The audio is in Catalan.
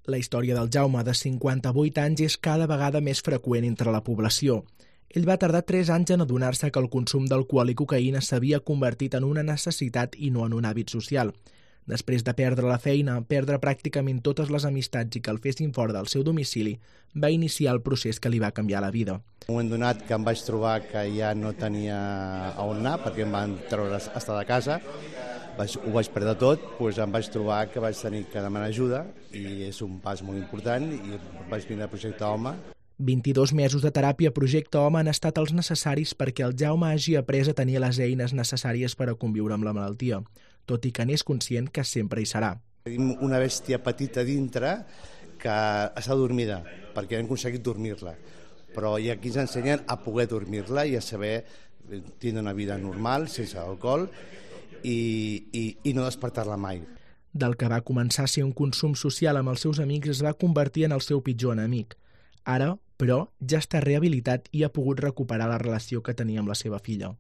La història del Jaume, de 58 anys, és cada vegada més freqüent entre la població. Ell va tardar 3 anys en adonar-se que el consum d'alcohol i cocaïna s'havia convertit en una necessitat i no en un hàbit social. Després de perdre la feina, perdre pràcticament totes les amistats i que el fessin fora del seu domicili, va iniciar el procés que li va canviar la vida. En un moment donat que em vaig trobar que ja no tenia on anar, perquè em van treure a estar de casa, ho vaig perdre tot, doncs em vaig trobar que vaig tenir que demanar ajuda i és un pas molt important i vaig vindre al projecte Home. 22 mesos de teràpia Projecte Home han estat els necessaris perquè el Jaume hagi après a tenir les eines necessàries per a conviure amb la malaltia, tot i que n'és conscient que sempre hi serà. Tenim una bèstia petita dintre que està dormida, perquè hem aconseguit dormir-la, però hi ha qui ens ensenyen a poder dormir-la i a saber tindre una vida normal, sense alcohol, i no despertar-la mai. Del que va començar a ser un consum social amb els seus amics es va convertir en el seu pitjor enemic. Ara, però, ja està rehabilitat i ha pogut recuperar la relació que tenia amb la seva filla.